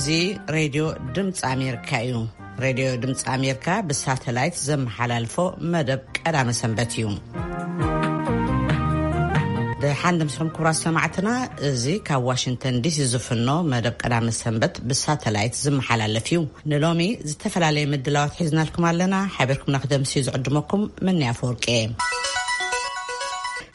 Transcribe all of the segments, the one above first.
እዚ ሬድዮ ድምፂ ኣሜሪካ እዩ። ሬድዮ ድምፂ ኣሜሪካ ብሳተላይት ዘመሓላልፎ መደብ ቀዳመ ሰንበት እዩ። ደሓን ድምስኹም ክቡራት ሰማዕትና፣ እዚ ካብ ዋሽንግተን ዲሲ ዝፍኖ መደብ ቀዳመ ሰንበት ብሳተላይት ዝመሓላለፍ እዩ። ንሎሚ ዝተፈላለየ ምድላዋት ሒዝናልኩም ኣለና። ሓቢርኩምና ክደምስ እዩ ዝዕድመኩም። ምንያ ፈወርቂ።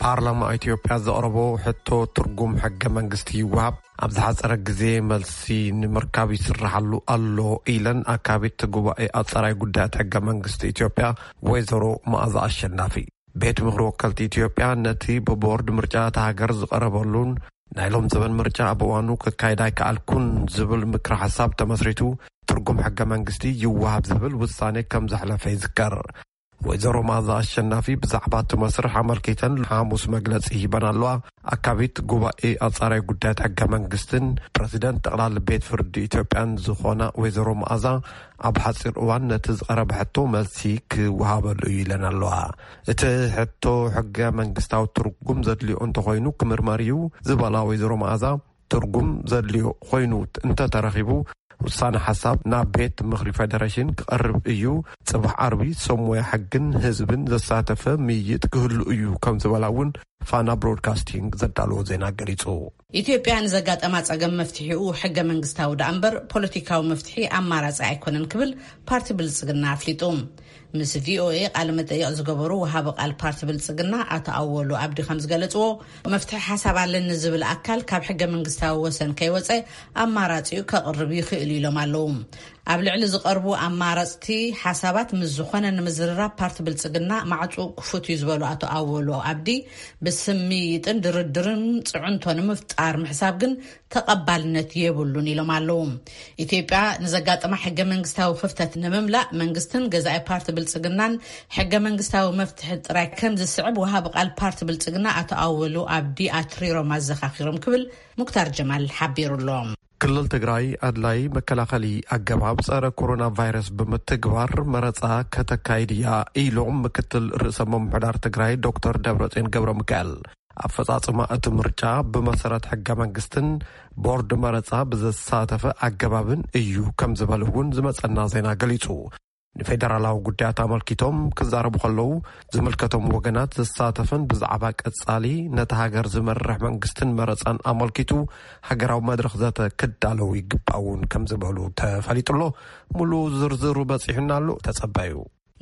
ፓርላማ ኢትዮጵያ ዘቕረቦ ሕቶ ትርጉም ሕገ መንግስቲ ይወሃብ ኣብ ዝሓፀረ ግዜ መልሲ ንምርካብ ይስራሓሉ ኣሎ ኢለን ኣካቢት ጉባኤ ኣፀራይ ጉዳያት ሕገ መንግስቲ ኢትዮጵያ ወይዘሮ መኣዛ ኣሸናፊ። ቤት ምኽሪ ወከልቲ ኢትዮጵያ ነቲ ብቦርድ ምርጫ እታ ሃገር ዝቐረበሉን ናይ ሎም ዘበን ምርጫ ኣብ እዋኑ ክካየድ ኣይከኣልኩን ዝብል ምክሪ ሓሳብ ተመስሪቱ ትርጉም ሕገ መንግስቲ ይወሃብ ዝብል ውሳኔ ከም ዘሕለፈ ይዝከር። ወይዘሮ መኣዛ ኣሸናፊ ብዛዕባ እቲ መስርሕ ኣመልኪተን ሓሙስ መግለጺ ሂበን ኣለዋ። ኣካቢት ጉባኤ ኣጻራይ ጉዳያት ሕገ መንግስትን ፕረዚደንት ጠቕላሊ ቤት ፍርዲ ኢትዮጵያን ዝኾና ወይዘሮ መኣዛ ኣብ ሓጺር እዋን ነቲ ዝቐረበ ሕቶ መልሲ ክወሃበሉ እዩ ኢለን ኣለዋ። እቲ ሕቶ ሕገ መንግስታዊ ትርጉም ዘድልዮ እንተኾይኑ ክምርመር እዩ ዝበላ ወይዘሮ መኣዛ ትርጉም ዘድልዮ ኮይኑ እንተተረኺቡ ውሳነ ሓሳብ ናብ ቤት ምኽሪ ፌደሬሽን ክቐርብ እዩ። ጽባሕ ዓርቢ ሰብ ሞያ ሕግን ህዝብን ዘሳተፈ ምይይጥ ክህሉ እዩ ከም ዝበላ እውን ፋና ብሮድካስቲንግ ዘዳለዎ ዜና ገሊጹ። ኢትዮጵያ ንዘጋጠማ ጸገም መፍትሒኡ ሕገ መንግስታዊ ደኣ እምበር ፖለቲካዊ መፍትሒ ኣማራጺ ኣይኮነን ክብል ፓርቲ ብልጽግና ኣፍሊጡ። ምስ ቪኦኤ ቃለ መጠይቕ ዝገበሩ ወሃቢ ቃል ፓርቲ ብልጽግና ኣቶ ኣወሉ ኣብዲ ከም ዝገለጽዎ መፍትሒ ሓሳብ ኣለኒ ዝብል ኣካል ካብ ሕገ መንግስታዊ ወሰን ከይወጸ ኣማራጺኡ ከቕርብ ይኽእል ኢሎም ኣለዉ። ኣብ ልዕሊ ዝቐርቡ ኣማራጽቲ ሓሳባት ምስ ዝኾነ ንምዝርራብ ፓርቲ ብልጽግና ማዕጹ ክፉት እዩ ዝበሉ ኣቶ ኣወሉ ኣብዲ ብስምይጥን ድርድርን ጽዕንቶ ንምፍጣር ምሕሳብ ግን ተቐባልነት የብሉን ኢሎም ኣለዉ። ኢትዮጵያ ንዘጋጠማ ሕገ መንግስታዊ ክፍተት ንምምላእ መንግስትን ገዛኢ ፓርቲ ብልጽግናን ሕገ መንግስታዊ መፍትሒ ጥራይ ከም ዝስዕብ ወሃቢ ቃል ፓርቲ ብልጽግና ኣቶ ኣወሉ ኣብዲ ኣትሪሮም ኣዘኻኺሮም ክብል ሙክታር ጀማል ሓቢሩ ኣሎ። ክልል ትግራይ ኣድላይ መከላኸሊ ኣገባብ ጸረ ኮሮና ቫይረስ ብምትግባር መረጻ ከተካይድ እያ ኢሎም ምክትል ርእሰ ምምሕዳር ትግራይ ዶክተር ደብረጽዮን ገብረ ሚካኤል። ኣፈጻጽማ እቲ ምርጫ ብመሰረት ሕገ መንግስትን ቦርድ መረጻ ብዘሳተፈ ኣገባብን እዩ ከም ዝበሉ እውን ዝመጸና ዜና ገሊጹ። ንፌደራላዊ ጉዳያት ኣመልኪቶም ክዛረቡ ከለዉ ዝምልከቶም ወገናት ዘሳተፈን ብዛዕባ ቀጻሊ ነታ ሃገር ዝመርሕ መንግስትን መረጻን ኣመልኪቱ ሃገራዊ መድረኽ ዘተ ክዳለው ይግባእ እውን ከም ዝበሉ ተፈሊጡ ኣሎ። ሙሉ ዝርዝሩ በጺሑና ኣሎ፣ ተጸበዩ።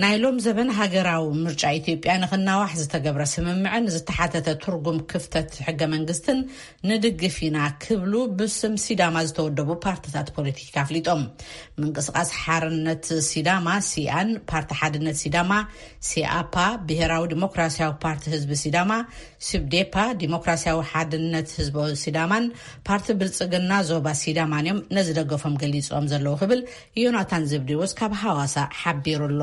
ናይ ሎም ዘበን ሃገራዊ ምርጫ ኢትዮጵያ ንክናዋሕ ዝተገብረ ስምምዕን ዝተሓተተ ትርጉም ክፍተት ሕገ መንግስትን ንድግፍ ኢና ክብሉ ብስም ሲዳማ ዝተወደቡ ፓርትታት ፖለቲካ ኣፍሊጦም። ምንቅስቃስ ሓርነት ሲዳማ ሲኣን፣ ፓርቲ ሓድነት ሲዳማ ሲኣፓ፣ ብሄራዊ ዲሞክራሲያዊ ፓርቲ ህዝቢ ሲዳማ ሲብዴፓ፣ ዲሞክራሲያዊ ሓድነት ህዝቢ ሲዳማን ፓርቲ ብልጽግና ዞባ ሲዳማን እዮም ነዚ ደገፎም ገሊጾም ዘለዉ ክብል ዮናታን ዘብዴዎስ ካብ ሃዋሳ ሓቢሩ ኣሎ።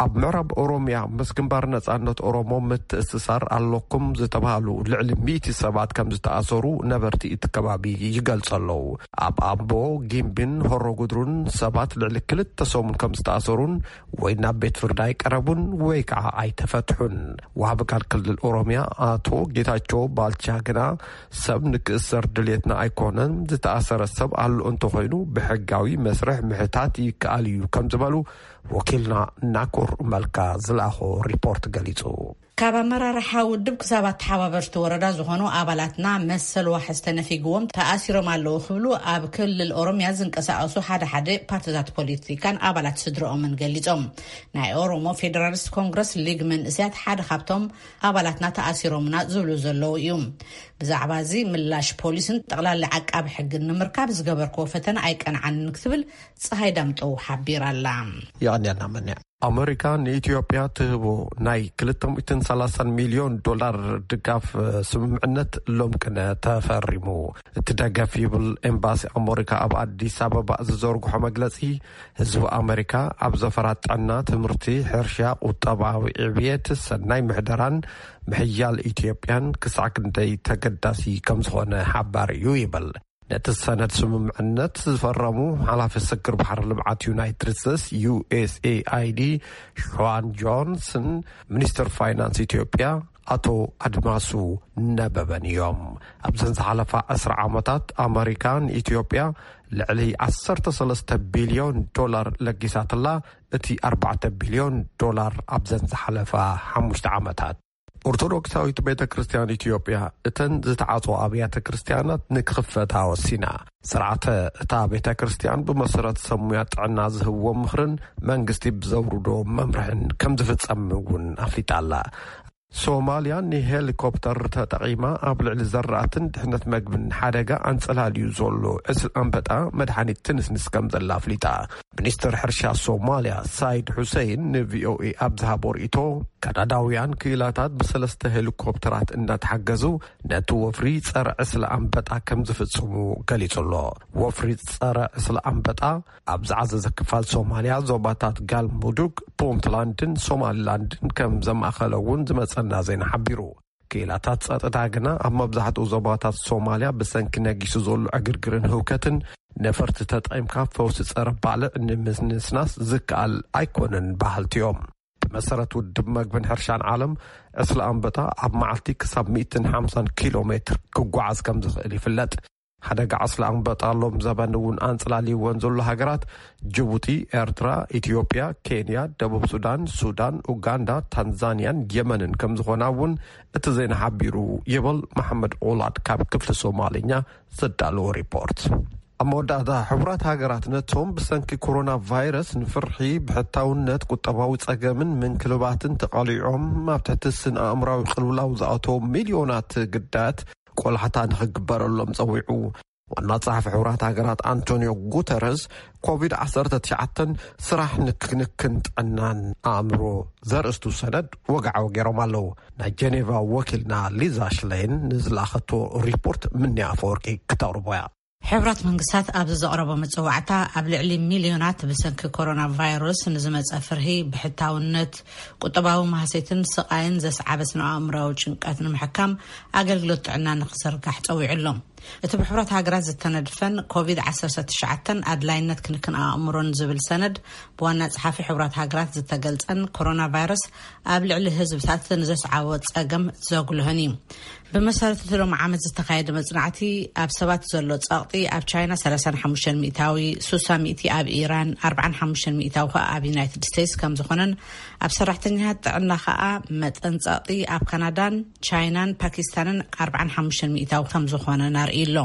ኣብ ምዕራብ ኦሮምያ ምስ ግንባር ነጻነት ኦሮሞ ምትእስሳር ኣለኩም ዝተባሃሉ ልዕሊ ሚእቲ ሰባት ከም ዝተኣሰሩ ነበርቲ እቲ ከባቢ ይገልጹ ኣለዉ። ኣብ ኣምቦ፣ ጊምቢን ሆሮ ጉድሩን ሰባት ልዕሊ ክልተ ሰሙን ከም ዝተኣሰሩን ወይ ናብ ቤት ፍርዲ ኣይቀረቡን ወይ ከዓ ኣይተፈትሑን። ወሃቢ ቃል ክልል ኦሮምያ ኣቶ ጌታቸው ባልቻ ግና ሰብ ንክእሰር ድልየትና ኣይኮነን፣ ዝተኣሰረ ሰብ ኣሎ እንተኾይኑ ብሕጋዊ መስርሕ ምሕታት ይከኣል እዩ ከም ዝበሉ ወኪልና ናኮር መልካ ዝለኣኾ ሪፖርት ገሊጹ። ካብ ኣመራርሓ ውድብ ክሳብ ኣተሓባበርቲ ወረዳ ዝኾኑ ኣባላትና መሰል ዋሕስ ተነፊግዎም ተኣሲሮም ኣለዉ ክብሉ ኣብ ክልል ኦሮምያ ዝንቀሳቐሱ ሓደ ሓደ ፓርትታት ፖለቲካን ኣባላት ስድረኦምን ገሊጾም። ናይ ኦሮሞ ፌደራሊስት ኮንግረስ ሊግ መንእስያት ሓደ ካብቶም ኣባላትና ተኣሲሮምና ዝብሉ ዘለዉ እዩ። ብዛዕባ እዚ ምላሽ ፖሊስን ጠቕላሊ ዓቃቢ ሕግን ንምርካብ ዝገበርክዎ ፈተነ ኣይቀንዓንን ክትብል ፀሃይ ዳምጠው ሓቢራ ኣላ። የቐንየልና መን ኣመሪካ ንኢትዮጵያ ትህቦ ናይ ክልተ ሚእትን ሰላሳን ሚልዮን ዶላር ድጋፍ ስምምዕነት ሎም ቅነ ተፈሪሙ። እቲ ደገፍ ይብል ኤምባሲ ኣመሪካ ኣብ ኣዲስ ኣበባ ዝዘርግሖ መግለጺ ህዝቢ ኣመሪካ ኣብ ዘፈራት ጥዕና፣ ትምህርቲ፣ ሕርሻ፣ ቁጠባዊ ዕብየት፣ ሰናይ ምሕደራን ምሕያል ኢትዮጵያን ክሳዕ ክንደይ ተገዳሲ ከም ዝኾነ ሓባሪ እዩ ይብል። ነቲ ሰነድ ስምምዕነት ዝፈረሙ ሓላፊ ስግር ባሕሪ ልምዓት ዩናይትድ ስቴትስ ዩ ኤስ ኤ ኣይ ዲ ሸዋን ጆንስን ሚኒስትር ፋይናንስ ኢትዮጵያ ኣቶ ኣድማሱ ነበበን እዮም። ኣብዘን ዝሓለፋ ዕስራ ዓመታት ኣመሪካ ንኢትዮጵያ ልዕሊ ዓሰርተ ሰለስተ ቢልዮን ዶላር ለጊሳትላ፣ እቲ ኣርባዕተ ቢልዮን ዶላር ኣብዘን ዝሓለፋ ሓሙሽተ ዓመታት። ኦርቶዶክሳዊት ቤተ ክርስቲያን ኢትዮጵያ እተን ዝተዓጽዋ ኣብያተ ክርስቲያናት ንክኽፈታ ወሲና። ስርዓተ እታ ቤተ ክርስቲያን ብመሰረት ሰሙያ ጥዕና ዝህብዎ ምኽርን መንግስቲ ብዘውርዶ መምርሕን ከም ዝፍጸም እውን ኣፍሊጣ ኣላ። ሶማልያ ንሄሊኮፕተር ተጠቒማ ኣብ ልዕሊ ዘራእትን ድሕነት መግብን ሓደጋ ኣንጸላልዩ ዘሎ ዕስል ኣንበጣ መድሓኒት ትንስንስ ከም ዘላ ኣፍሊጣ። ሚኒስትር ሕርሻ ሶማልያ ሳይድ ሑሰይን ንቪኦኤ ኣብ ዝሃቦ ርእይቶ፣ ካናዳውያን ክኢላታት ብሰለስተ ሄሊኮፕተራት እንዳተሓገዙ ነቲ ወፍሪ ጸረ ዕስል ኣንበጣ ከም ዝፍጽሙ ገሊጹ ኣሎ። ወፍሪ ጸረ ዕስል ኣንበጣ ኣብ ዝዓዘዘ ክፋል ሶማልያ ዞባታት ጋልሙዱግ፣ ፑንትላንድን ሶማሊላንድን ከም ዘማእኸለ እውን ዝመጸና ዜና ሓቢሩ። ክኢላታት ጸጥታ ግና ኣብ መብዛሕትኡ ዞባታት ሶማልያ ብሰንኪ ነጊሱ ዘሎ ዕግርግርን ህውከትን ነፈርቲ ተጠቒምካ ፈውሲ ጸረ ባልዕ ንምንስናስ ዝከኣል ኣይኮነን በሃልቲ እዮም። ብመሰረት ውድብ መግብን ሕርሻን ዓለም፣ ዕስለ ኣንበጣ ኣብ መዓልቲ ክሳብ ሚእትን ሓምሳን ኪሎ ሜትር ክጓዓዝ ከም ዝኽእል ይፍለጥ። ሓደጋ ዕስለ ኣንበጣ ሎም ዘበን እውን ኣንጽላልይወን ዘሎ ሃገራት ጅቡቲ፣ ኤርትራ፣ ኢትዮጵያ፣ ኬንያ፣ ደቡብ ሱዳን፣ ሱዳን፣ ኡጋንዳ፣ ታንዛንያን የመንን ከም ዝኾና እውን እቲ ዜና ሓቢሩ ይብል መሓመድ ኦላድ ካብ ክፍሊ ሶማልኛ ዘዳለዎ ሪፖርት። ኣብ መወዳእታ፣ ሕቡራት ሃገራት ነቶም ብሰንኪ ኮሮና ቫይረስ ንፍርሒ፣ ብሕታውነት፣ ቁጠባዊ ጸገምን ምንክልባትን ተቓሊዖም ኣብ ትሕቲ ስነ ኣእምራዊ ቅልውላው ዝኣተዉ ሚልዮናት ግዳያት ቆላሕታ ንኽግበረሎም ጸዊዑ። ዋና ጸሓፊ ሕቡራት ሃገራት ኣንቶኒዮ ጉተረስ፣ ኮቪድ ዓሰርተ ትሽዓተ ስራሕ ንክንክን ጥዕናን ኣእምሮ ዘርእስቱ ሰነድ ወግዓዊ ገይሮም ኣለዉ። ናይ ጀኔቫ ወኪልና ሊዛ ሽለይን ንዝለኣኸቶ ሪፖርት ምንያ ኣፈወርቂ ክተቕርቦ እያ። ሕብራት መንግስታት ኣብዚ ዘቕረቦ መጸዋዕታ፣ ኣብ ልዕሊ ሚልዮናት ብሰንኪ ኮሮና ቫይረስ ንዝመጸ ፍርሂ፣ ብሕታውነት፣ ቁጠባዊ ማህሰይትን ስቓይን ዘስዓበ ስነ ኣእምራዊ ጭንቀት ንምሕካም ኣገልግሎት ጥዕና ንክዘርጋሕ ጸዊዑ ኣሎ። እቲ ብሕብራት ሃገራት ዝተነድፈን ኮቪድ ዓሰርተ ትሽዓተ ኣድላይነት ክንክን ኣእምሮን ዝብል ሰነድ፣ ብዋና ጸሓፊ ሕቡራት ሃገራት ዝተገልጸን ኮሮና ቫይረስ ኣብ ልዕሊ ህዝብታት ንዘስዓቦ ጸገም ዘጉልህን እዩ። ብመሰረት እቲ ሎሚ ዓመት ዝተኻየደ መጽናዕቲ፣ ኣብ ሰባት ዘሎ ጸቕጢ ኣብ ቻይና ሰላሳን ሓሙሽተን ሚእታዊ፣ ሱሳ ሚእቲ ኣብ ኢራን፣ ኣርባዓን ሓሙሽተን ሚእታዊ ከኣ ኣብ ዩናይትድ ስቴትስ ከም ዝኾነን፣ ኣብ ሰራሕተኛታት ጥዕና ከኣ መጠን ጸቕጢ ኣብ ካናዳን ቻይናን ፓኪስታንን ኣርባዓን ሓሙሽተን ሚእታዊ ከም ዝኾነን ኣርእዩ ኣሎ።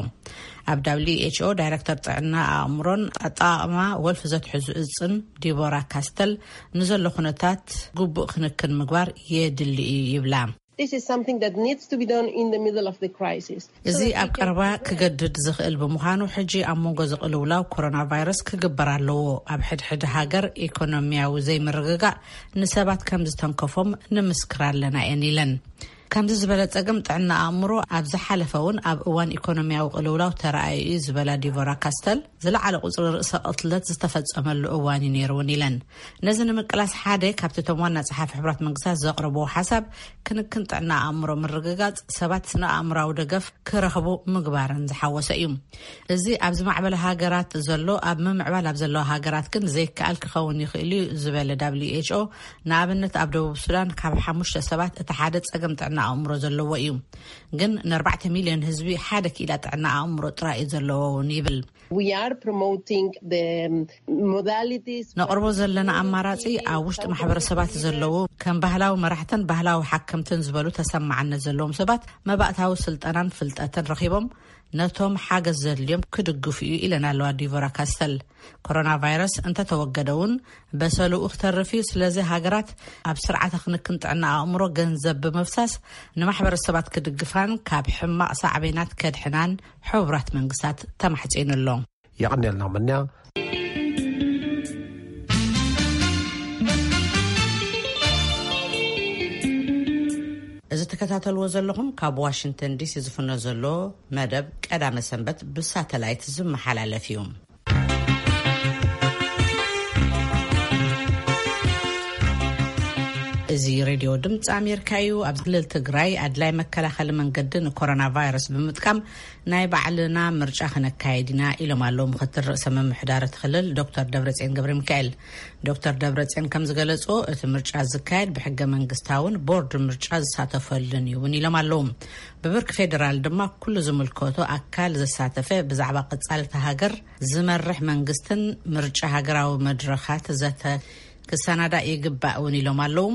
ኣብ ደብሊው ኤች ኦ ዳይረክተር ጥዕና ኣእምሮን ኣጠቓቕማ ወልፊ ዘትሕዙ እጽን ዲቦራ ካስተል፣ ንዘሎ ኩነታት ግቡእ ክንክን ምግባር የድሊ እዩ ይብላ። This is something that needs to be done in the middle of the crisis. እዚ ኣብ ቀረባ ክገድድ ዝኽእል ብምዃኑ፣ ሕጂ ኣብ መንጎ ዝቕልውላው ኮሮና ቫይረስ ክግበር ኣለዎ። ኣብ ሕድሕድ ሃገር ኢኮኖሚያዊ ዘይምርግጋእ ንሰባት ከም ዝተንከፎም ንምስክር ኣለና እየን ኢለን። ከምዚ ዝበለ ጸገም ጥዕና ኣእምሮ ኣብ ዝሓለፈ እውን ኣብ እዋን ኢኮኖሚያዊ ቅልውላው ተራእዩ እዩ ዝበላ ዲቦራ ካስተል፣ ዝለዓለ ቁጽሪ ርእሰ ቅትለት ዝተፈጸመሉ እዋን እዩ ነይሩ እውን ኢለን። ነዚ ንምቅላስ ሓደ ካብቲ እቶም ዋና ጸሓፊ ሕቡራት መንግስታት ዘቕረብዎ ሓሳብ፣ ክንክን ጥዕና ኣእምሮ ምርግጋጽ፣ ሰባት ስነ ኣእምራዊ ደገፍ ክረኽቡ ምግባርን ዝሓወሰ እዩ። እዚ ኣብ ዝማዕበለ ሃገራት ዘሎ፣ ኣብ ምምዕባል ኣብ ዘለዋ ሃገራት ግን ዘይከኣል ክኸውን ይኽእል እዩ ዝበለ ደብሊው ኤች ኦ፣ ንኣብነት ኣብ ደቡብ ሱዳን ካብ ሓሙሽተ ሰባት እቲ ሓደ ጸገም ጥዕና ኣእምሮ ዘለዎ እዩ። ግን ንኣርባዕተ ሚልዮን ህዝቢ ሓደ ክኢላ ጥዕና ኣእምሮ ጥራይ እዩ ዘለዎ እውን ይብል። We are promoting the modalities. ነቕርቦ ዘለና ኣማራጺ ኣብ ውሽጢ ማሕበረሰባት ዘለዉ ከም ባህላዊ መራሕትን ባህላዊ ሓከምትን ዝበሉ ተሰማዕነት ዘለዎም ሰባት መባእታዊ ስልጠናን ፍልጠትን ረኺቦም ነቶም ሓገዝ ዘድልዮም ክድግፉ እዩ ኢለን ኣለዋ ዲቮራ ካስተል። ኮሮና ቫይረስ እንተተወገደ እውን በሰሉኡ ክተርፍ እዩ። ስለዚ ሃገራት ኣብ ስርዓተ ክንክን ጥዕና ኣእምሮ ገንዘብ ብምፍሳስ ንማሕበረሰባት ክድግፋን ካብ ሕማቕ ሳዕቤናት ከድሕናን ሕቡራት መንግስታት ተማሕጺኑ ኣሎ። የቐንየልና ምንያ። እዚ ትከታተልዎ ዘለኹም ካብ ዋሽንግተን ዲሲ ዝፍኖ ዘሎ መደብ ቀዳመ ሰንበት ብሳተላይት ዝመሓላለፍ እዩ። እዚ ሬድዮ ድምፂ ኣሜሪካ እዩ። ኣብ ክልል ትግራይ ኣድላይ መከላኸሊ መንገዲ ንኮሮና ቫይረስ ብምጥቃም ናይ ባዕልና ምርጫ ክነካየድ ኢና ኢሎም ኣለዉ ምክትል ርእሰ ምምሕዳር እቲ ክልል ዶክተር ደብረፅዮን ገብረ ሚካኤል። ዶክተር ደብረፅዮን ከም ዝገለፅዎ፣ እቲ ምርጫ ዝካየድ ብሕገ መንግስታውን ቦርድ ምርጫ ዝሳተፈሉን እዩ እውን ኢሎም ኣለዉ። ብብርኪ ፌዴራል ድማ ኩሉ ዝምልከቶ ኣካል ዘሳተፈ ብዛዕባ ቀፃልቲ ሃገር ዝመርሕ መንግስትን ምርጫ ሃገራዊ መድረኻት ዘተ ክሰናዳእ ይግባእ እውን ኢሎም ኣለዉ።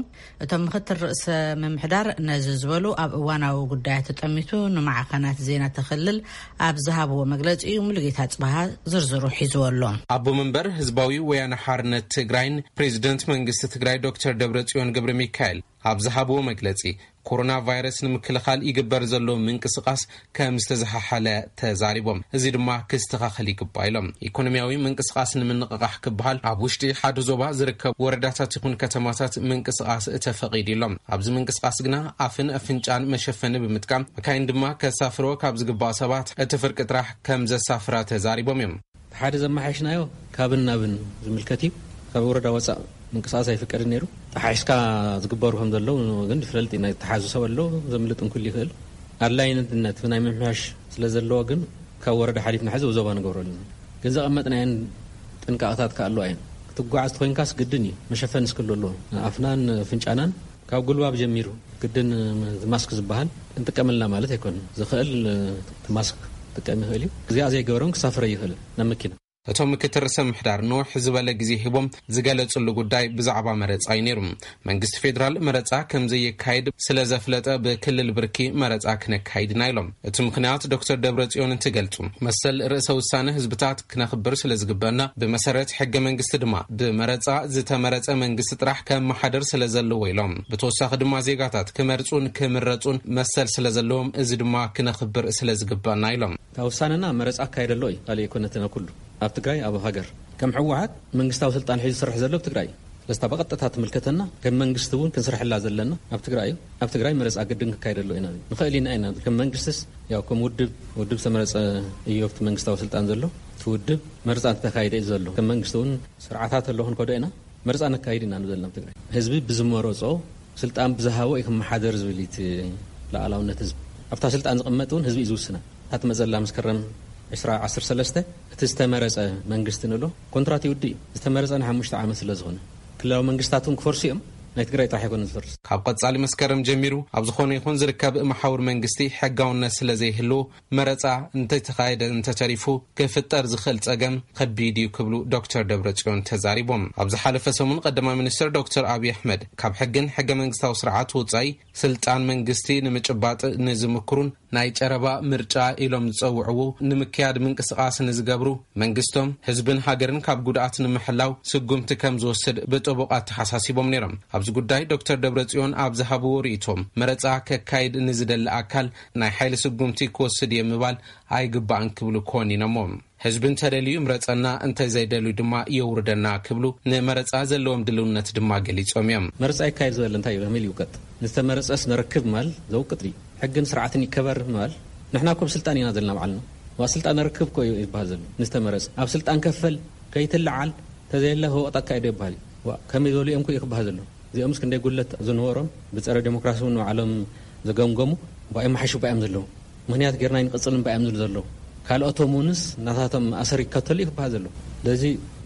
እቶም ምክትል ርእሰ ምምሕዳር ነዚ ዝበሉ ኣብ እዋናዊ ጉዳያት ተጠሚቱ ንማዕኸናት ዜና ተኽልል ኣብ ዝሃብዎ መግለፂ እዩ። ሙሉጌታ ፅባሃ ዝርዝሩ ሒዝዎ ኣሎ። ኣቦ መንበር ህዝባዊ ወያነ ሓርነት ትግራይን ፕሬዚደንት መንግስቲ ትግራይ ዶክተር ደብረጽዮን ገብረ ሚካኤል ኣብ ዝሃብዎ መግለፂ፣ ኮሮና ቫይረስ ንምክልኻል ይግበር ዘሎ ምንቅስቓስ ከም ዝተዘሓሓለ ተዛሪቦም። እዚ ድማ ክስተኻኸል ይግባእ ኢሎም። ኢኮኖሚያዊ ምንቅስቓስ ንምንቕቓሕ ክበሃል ኣብ ውሽጢ ሓደ ዞባ ዝርከብ ወረዳታት ይኹን ከተማታት ምንቅስቓስ ተፈቒዱ ኢሎም። ኣብዚ ምንቅስቓስ ግና ኣፍን ኣፍንጫን መሸፈኒ ብምጥቃም፣ መካይን ድማ ከሳፍርዎ ካብ ዝግባእ ሰባት እቲ ፍርቂ ጥራሕ ከም ዘሳፍራ ተዛሪቦም እዮም። ሓደ ዘመሓየሽናዮ ካብን ናብን ዝምልከት እዩ። ካብ ወረዳ ወፃእ ምንቅስቓስ ኣይፍቀድን ነይሩ። ተሓሒስካ ዝግበሩ ከም ዘለዉ ግን ይፍለጥ እዩ። ናይ ተሓዙ ሰብ ኣሎ፣ ዘምልጥ እንኩል ይኽእል። ኣድላይነት ናይ ምምሕያሽ ስለ ዘለዎ ግን ካብ ወረዳ ሓሊፍና ሕዚ ዞባ ንገብረሉ ኢና። ግን ዘቐመጥናየን ጥንቃቐታት ከ ኣለዋ እየን። ክትጓዓዝ ተኾይንካስ ግድን እዩ፣ መሸፈኒ ስክል ኣለዎ። ኣፍናን ፍንጫናን ካብ ጉልባብ ጀሚሩ ግድን ማስክ ዝበሃል እንጥቀመልና ማለት ኣይኮነን። ዝኽእል ማስክ ጥቀም ይኽእል እዩ። እዚኣ ዘይገበረውን ክሳፍረ ይኽእል ናብ መኪና። እቶም ምክትል ርእሰ ምሕዳር ንውሕ ዝበለ ግዜ ሂቦም ዝገለጽሉ ጉዳይ ብዛዕባ መረጻ እዩ ነይሩ። መንግስቲ ፌዴራል መረጻ ከም ዘየካይድ ስለ ዘፍለጠ ብክልል ብርኪ መረጻ ክነካይድ ኢና ኢሎም። እቲ ምኽንያት ዶክተር ደብረጽዮን እንትገልጹ፣ መሰል ርእሰ ውሳነ ህዝብታት ክነኽብር ስለ ዝግበና፣ ብመሰረት ሕገ መንግስቲ ድማ ብመረጻ ዝተመረጸ መንግስቲ ጥራሕ ከመሓደር ስለ ዘለዎ ኢሎም። ብተወሳኺ ድማ ዜጋታት ክመርጹን ክምረጹን መሰል ስለ ዘለዎም፣ እዚ ድማ ክነኽብር ስለ ዝግበና ኢሎም። እታ ውሳነና መረጻ ኣካየደ ኣሎ እዩ፣ ካልእ ኣይኮነትን። ኣብ ኩሉ ኣብ ትግራይ ኣብ ሃገር ከም ህወሓት መንግስታዊ ስልጣን ሒዙ ዝሰርሕ ዘሎ ኣብ ትግራይ እዩ። ስለስታ ብቐጥታ ትምልከተና ከም መንግስቲ እውን ክንስርሐላ ዘለና ኣብ ትግራይ እዩ። ኣብ ትግራይ መረጻ ግድን ክካየደሉ ኢና ንብል። ንኽእል ኢና ኢና ከም መንግስትስ ያው ከም ውድብ ውድብ ዝተመረጸ እዩ ኣብቲ መንግስታዊ ስልጣን ዘሎ። እቲ ውድብ መረጻ እንተተካይደ እዩ ዘሎ። ከም መንግስቲ እውን ስርዓታት ኣሎ ክንከዶ ኢና። መረጻ ነካይድ ኢና ንብል ዘለና ኣብ ትግራይ። ህዝቢ ብዝመረጾ ስልጣን ብዝሃቦ እዩ ክመሓደር ዝብል እዩ እቲ ሉዓላውነት ህዝቢ። ኣብታ ስልጣን ዝቕመጥ እውን ህዝቢ እዩ ዝውስና። እታ ትመጸላ መስከረም ዕስራ ዓሰርተ ሰለስተ እቲ ዝተመረጸ መንግስቲ ንብሎ ኮንትራት ይውድእ እዩ። ዝተመረጸ ንሓሙሽተ ዓመት ስለ ዝኾነ ክልላዊ መንግስታት እውን ክፈርሱ እዮም። ናይ ትግራይ ጥራሕ ኣይኮነን ዝፈርስ። ካብ ቀጻሊ መስከረም ጀሚሩ ኣብ ዝኾነ ይኹን ዝርከብ መሓውር መንግስቲ ሕጋውነት ስለ ዘይህልዎ መረጻ እንተተኻየደ እንተተሪፉ ክፍጠር ዝኽእል ጸገም ከቢድ እዩ ክብሉ ዶክተር ደብረጽዮን ተዛሪቦም። ኣብ ዝሓለፈ ሰሙን ቀዳማይ ሚኒስትር ዶክተር ኣብይ ኣሕመድ ካብ ሕግን ሕገ መንግስታዊ ስርዓት ወጻኢ ስልጣን መንግስቲ ንምጭባጥ ንዝምክሩን ናይ ጨረባ ምርጫ ኢሎም ዝጸውዕዎ ንምክያድ ምንቅስቓስ ንዝገብሩ መንግስቶም ህዝብን ሃገርን ካብ ጉድኣት ንምሕላው ስጉምቲ ከም ዝወስድ ብጥቡቕ ኣተሓሳሲቦም ነይሮም። ኣብዚ ጉዳይ ዶክተር ደብረጽዮን ኣብ ዝሃብዎ ርእይቶም መረጻ ከካይድ ንዝደሊ ኣካል ናይ ሓይሊ ስጉምቲ ክወስድ እየ ምባል ኣይግባእን ክብሉ ኮኒኖሞ። ህዝቢ እንተደልዩ ይምረጸና፣ እንተዘይደልዩ ድማ የውርደና ክብሉ ንመረጻ ዘለዎም ድልውነት ድማ ገሊጾም እዮም። መረጻ ይካየድ ዝበለ እንታይ እዩ? ከመይ ይውቀጥ? ንዝተመረጸስ ነረክብ ማል ዘውቅጥ እዩ። ሕግን ስርዓትን ይከበር ማል ንሕና እኮ ብስልጣን ኢና ዘለና ባዕልና። ዋ ስልጣን ነረክብ እኮ እዩ ይበሃል ዘሎ። ንዝተመረጸ ኣብ ስልጣን ከፈል ከይትለዓል ተዘየለ ህወቕት ኣካይዶ ይበሃል እዩ። ዋ ከመይ ዝበሉ እዮም እኮ እዩ ክበሃል ዘሎ። እዚኦምስ ክንደይ ጉድለት ዝነበሮም ብጸረ ዴሞክራሲ እውን ንባዕሎም ዘገምገሙ ባዮም መሓሹ ባዮም ዘለዉ። ምኽንያት ጌርና ይንቅጽል እምባ እዮም ዝብሉ ዘለዉ። ካልኦቶም እውንስ ናታቶም መኣሰር ይከተሉ እዩ ክበሃል ዘሎ። ስለዚ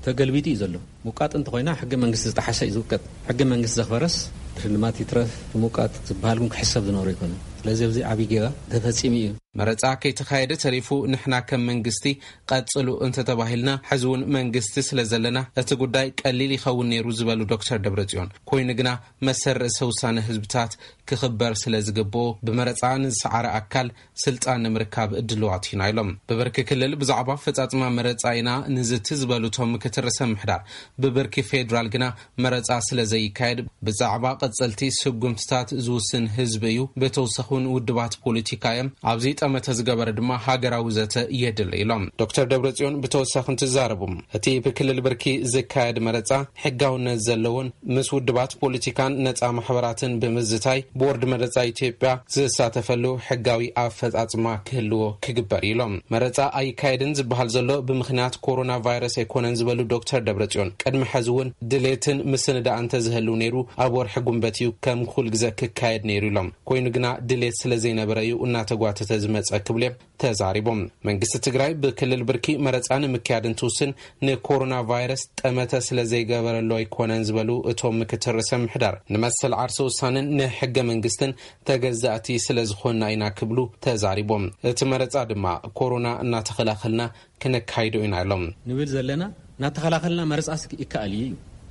ተገልቢጡ እዩ ዘሎ። ምውቃጥ እንተኾይና ሕገ መንግስቲ ዝጠሓሰ እዩ ዝውቀጥ። ሕገ መንግስቲ ዘኽበረስ ሽልማት ይትረፍ ምውቃጥ ዝበሃል እውን ክሕሰብ ዝነበሮ ኣይኮነን። ስለዚ ኣብዚ ዓብዪ ጌጋ ተፈጺሙ እዩ። መረጻ ከይተኻየደ ተሪፉ ንሕና ከም መንግስቲ ቀጽሉ እንተተባሂልና፣ ሕዚ እውን መንግስቲ ስለ ዘለና እቲ ጉዳይ ቀሊል ይኸውን ነይሩ ዝበሉ ዶክተር ደብረጽዮን፣ ኮይኑ ግና መሰል ርእሰ ውሳነ ህዝብታት ክኽበር ስለ ዝግብኦ ብመረጻ ንዝሰዓረ ኣካል ስልጣን ንምርካብ ድልዋት ኢና ኢሎም። ብብርኪ ክልል ብዛዕባ ኣፈጻጽማ መረጻ ኢና ንዝቲ ዝበሉ እቶም ምክትል ርእሰ ምምሕዳር፣ ብብርኪ ፌዴራል ግና መረጻ ስለ ዘይካየድ ብዛዕባ ቀጸልቲ ስጉምትታት ዝውስን ህዝቢ እዩ። ብተወሳኺ ይኹን ውድባት ፖለቲካ እዮም። ኣብዚ ጠመተ ዝገበረ ድማ ሃገራዊ ዘተ የድሊ ኢሎም። ዶክተር ደብረጽዮን ብተወሳኺ እንትዛረቡ፣ እቲ ብክልል ብርኪ ዝካየድ መረጻ ሕጋውነት ዘለዎን ምስ ውድባት ፖለቲካን ነጻ ማሕበራትን ብምዝታይ ቦርድ መረጻ ኢትዮጵያ ዝሳተፈሉ ሕጋዊ ኣፈጻጽማ ክህልዎ ክግበር ኢሎም። መረጻ ኣይካየድን ዝበሃል ዘሎ ብምኽንያት ኮሮና ቫይረስ ኣይኮነን ዝበሉ ዶክተር ደብረጽዮን፣ ቅድሚ ሕዚ እውን ድሌትን ምስንዳእ እንተዝህልው ነይሩ ኣብ ወርሒ ጉንበት እዩ ከም ኩል ግዘ ክካየድ ነይሩ ኢሎም። ኮይኑ ግና ድሌት ስለ ዘይነበረ እዩ እናተጓተተ ዝመጸ ክብሉ እዮም ተዛሪቦም። መንግስቲ ትግራይ ብክልል ብርኪ መረጻ ንምክያድ እንትውስን ንኮሮና ቫይረስ ጠመተ ስለ ዘይገበረሉ ኣይኮነን ዝበሉ እቶም ምክትል ርእሰ ምሕዳር፣ ንመሰል ዓርሰ ውሳንን ንሕገ መንግስትን ተገዛእቲ ስለ ዝኾንና ኢና ክብሉ ተዛሪቦም። እቲ መረጻ ድማ ኮሮና እናተኸላኸልና ክነካይዶ ኢና ኢሎም። ንብል ዘለና እናተኸላኸልና መረጻስ ይከኣል እዩ።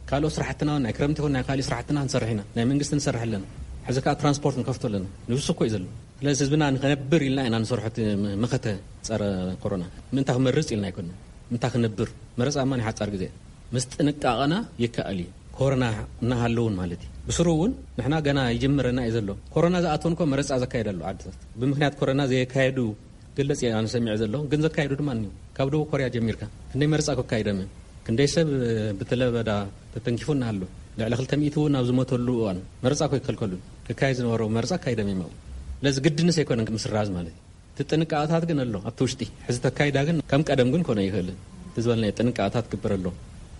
ካልኦት ስራሕትና ናይ ክረምቲ ይኹን ናይ ካልእ ስራሕትና ክንሰርሕ ኢና። ናይ መንግስቲ ንሰርሕ ኣለና። ሕዚ ከዓ ትራንስፖርት ንከፍቶ ኣለና። ንብሱ እኮ እዩ ዘሎ። ስለዚ ህዝብና ንኸነብር ኢልና ኢና ንሰርሖ እቲ መኸተ ጸረ ኮሮና። ምእንታ ክመርጽ ኢልና ኣይኮንና። ምእንታ ክነብር። መረጻ እማ ናይ ሓጻር ግዜ። ምስ ጥንቃቐና ይከኣል እዩ። ኮሮና እናሃለውን ማለት እዩ። ብስሩ እውን ንሕና ገና ይጅምረና እዩ ዘሎ። ኮሮና ዝኣተውን እኮ መረጻ ዘካየድ ኣሎ ዓድታት። ብምኽንያት ኮሮና ዘየካየዱ ገለጽ እየ ኣነ ሰሚዐ ዘለኹ፣ ግን ዘካየዱ ድማ እኒው። ካብ ደቡብ ኮርያ ጀሚርካ ክንደይ መረጻ እኮ ኣካይዶም እዮም። ክንደይ ሰብ ብትለበዳ ተተንኪፉ እናሃሉ ልዕሊ ክልተ ሚእቲ እውን ኣብ ዝሞተሉ እዋን መረጻ እኮ ይከልከሉን። ክካየድ ዝነበሮ መረጻ ኣካይዶም እዮም ኣብኡ። ስለዚ ግድንስ ኣይኮነን ምስራዝ ማለት እዩ። እቲ ጥንቃቐታት ግን ኣሎ ኣብቲ ውሽጢ። ሕዚ ተካይዳ ግን ከም ቀደም ግን ኮነ ይኽእልን። እቲ ዝበልናዮ ጥንቃቐታት ክግበር ኣሎ።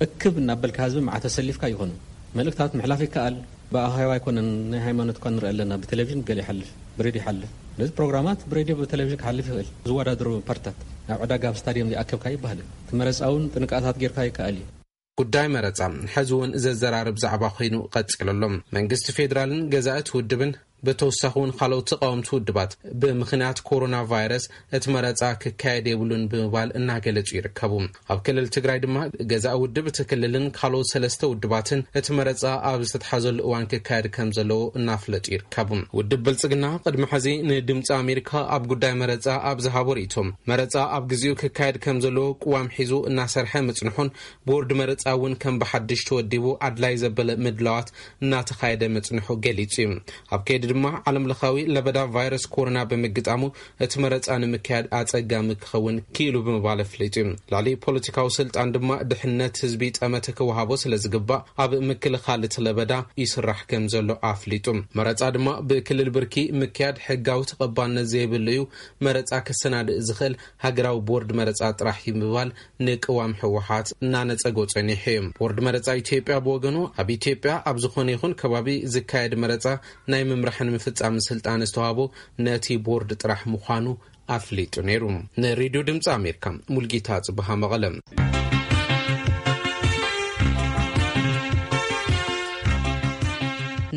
እክብ እናበልካ ህዝቢ መዓት ተሰሊፍካ ይኾኑ። መልእክታት ምሕላፍ ይከኣል። ብኣኼባ ኣይኮነን፣ ናይ ሃይማኖት እኳ ንርኢ ኣለና። ብቴሌቪዥን ገለ ይሓልፍ፣ ብሬድዮ ይሓልፍ። ስለዚ ፕሮግራማት ብሬድዮ ብቴሌቪዥን ክሓልፍ ይኽእል። ዝወዳደሩ ፓርትታት ናብ ዕዳጋ ኣብ ስታድዮም ዘይኣከብካ ይበሃል። እቲ መረጻ እውን ጥንቃቐታት ጌርካ ይከኣል እዩ። ጉዳይ መረጻ ሕዚ እውን ዘዘራርብ ዛዕባ ኮይኑ ቀጺሉ ኣሎ። መንግስቲ ፌዴራልን ገዛእቲ ውድብን ብተወሳኺ እውን ካልኦት ተቃወምቲ ውድባት ብምኽንያት ኮሮና ቫይረስ እቲ መረጻ ክካየድ የብሉን ብምባል እናገለጹ ይርከቡ። ኣብ ክልል ትግራይ ድማ ገዛኢ ውድብ እቲ ክልልን ካልኦት ሰለስተ ውድባትን እቲ መረጻ ኣብ ዝተትሓዘሉ እዋን ክካየድ ከም ዘለዎ እናፍለጡ ይርከቡ። ውድብ ብልጽግና ቅድሚ ሕዚ ንድምፂ ኣሜሪካ ኣብ ጉዳይ መረጻ ኣብ ዝሃቦ ርእይቶ፣ መረጻ ኣብ ግዜኡ ክካየድ ከም ዘለዎ ቅዋም ሒዙ እናሰርሐ ምጽንሑን ቦርድ መረጻ እውን ከም ብሓድሽ ተወዲቡ ኣድላይ ዘበለ ምድላዋት እናተኻየደ ምጽንሑ ገሊጹ እዩ። ኣብ ከይዲ ድማ ዓለም ለኻዊ ለበዳ ቫይረስ ኮሮና ብምግጣሙ እቲ መረጻ ንምክያድ ኣጸጋሚ ክኸውን ክኢሉ ብምባል ኣፍሊጡ እዩ። ልዕሊ ፖለቲካዊ ስልጣን ድማ ድሕነት ህዝቢ ጠመተ ክወሃቦ ስለ ዝግባእ ኣብ ምክልኻል እቲ ለበዳ ይስራሕ ከም ዘሎ ኣፍሊጡ። መረጻ ድማ ብክልል ብርኪ ምክያድ ሕጋዊ ተቐባልነት ዘይብሉ እዩ። መረጻ ከሰናድእ ዝኽእል ሃገራዊ ቦርድ መረጻ ጥራሕ እዩ ብምባል ንቅዋም ህወሓት እናነጸጎ ጸኒሑ እዩ። ቦርድ መረጻ ኢትዮጵያ ብወገኑ ኣብ ኢትዮጵያ ኣብ ዝኾነ ይኹን ከባቢ ዝካየድ መረጻ ናይ ምምራሕን ምፍጻምን ስልጣን ዝተዋህቦ ነቲ ቦርድ ጥራሕ ምዃኑ ኣፍሊጡ ነይሩ። ንሬድዮ ድምፂ ኣሜሪካ ሙልጌታ ጽብሃ መቐለ።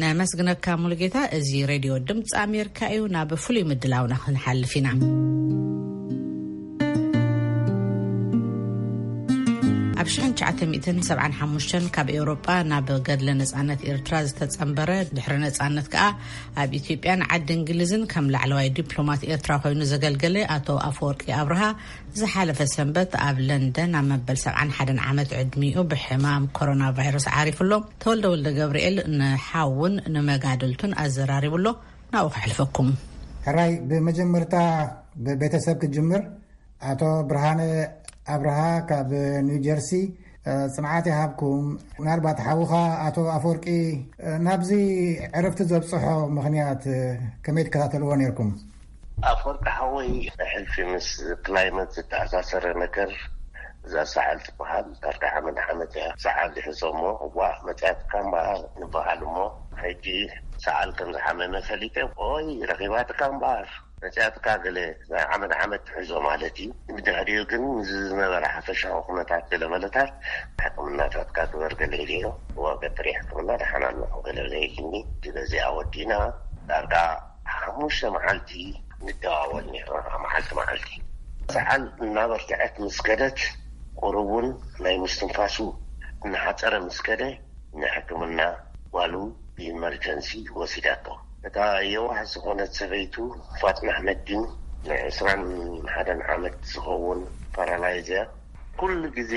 ነመስግነካ ሙሉጌታ። እዚ ሬድዮ ድምፂ ኣሜሪካ እዩ። ናብ ፍሉይ ምድላውና ክንሓልፍ ኢና። ኣብ ሽሕን ትሽዓተ ሚእትን ሰብዓን ሓሙሽተን ካብ ኤውሮጳ ናብ ገድለ ነጻነት ኤርትራ ዝተጸንበረ፣ ድሕሪ ነጻነት ከኣ ኣብ ኢትዮጵያን ዓዲ እንግሊዝን ከም ላዕለዋይ ዲፕሎማት ኤርትራ ኮይኑ ዘገልገለ ኣቶ ኣፈወርቂ ኣብርሃ ዝሓለፈ ሰንበት ኣብ ለንደን ኣብ መበል ሰብዓን ሓደን ዓመት ዕድሚኡ ብሕማም ኮሮና ቫይረስ ዓሪፉ ኣሎ። ተወልደ ወልደ ገብርኤል ንሓውን ንመጋድልቱን ኣዘራሪቡ ኣሎ። ናብኡ ከሕልፈኩም። ሕራይ፣ ብመጀመርታ ብቤተሰብ ክጅምር። ኣቶ ብርሃነ ኣብርሃ ካብ ኒው ጀርሲ፣ እ፣ ጽንዓት ይሃብኩም። ምናልባት ሓውኻ ኣቶ ኣፈወርቂ፣ እ፣ ናብዚ ዕረፍቲ ዘብጽሖ ምኽንያት፣ እ፣ ከመይ ትከታተልዎ ነይርኩም? ኣፈወርቂ ሓወይ፣ ሕልፊ ምስ ክላይመት ዝተኣሳሰረ ነገር፣ እዛ ሰዓል ትበሃል፣ ዳርጋ ዓመት ዓመት እያ ሰዓል ይሕዞ እሞ፣ እዋ መጽያትካ እምበኣር ንበሃል እሞ፣ ሕጂ ሰዓል ከም ዝሓመመ ፈሊጠ፣ ኦይ ረኺባትካ እምበኣር መጽያትካ ገለ ናይ ዓመት ዓመት ትሕዞ ማለት እዩ። ብድሕሪኡ ግን ዝነበረ ሓፈሻዊ ኩነታት ገለ መለታት ሕክምናታትካ ግበር ገለ ኢለዮ። እዋ ቀጥሪ ሕክምና ደሓን ኣለኹ ገለ ኢልኒ። በዚኣ ወዲእና ዳርጋ ሓሙሽተ መዓልቲ ንደዋወል ነይርና፣ መዓልቲ መዓልቲ። ሰዓል እናበርትዐት ምስ ከደት፣ ቁሩብ እውን ናይ ምስትንፋሱ እናሓጸረ ምስ ከደ፣ ንሕክምና ጓሉ ብኢመርጀንሲ ወሲዳቶ። እታ የዋህ ዝኾነት ሰበይቱ ፋጥማ ኣሕመድዲን፣ ንዕስራን ሓደን ዓመት ዝኸውን ፓራላይዝ እያ። ኩሉ ግዜ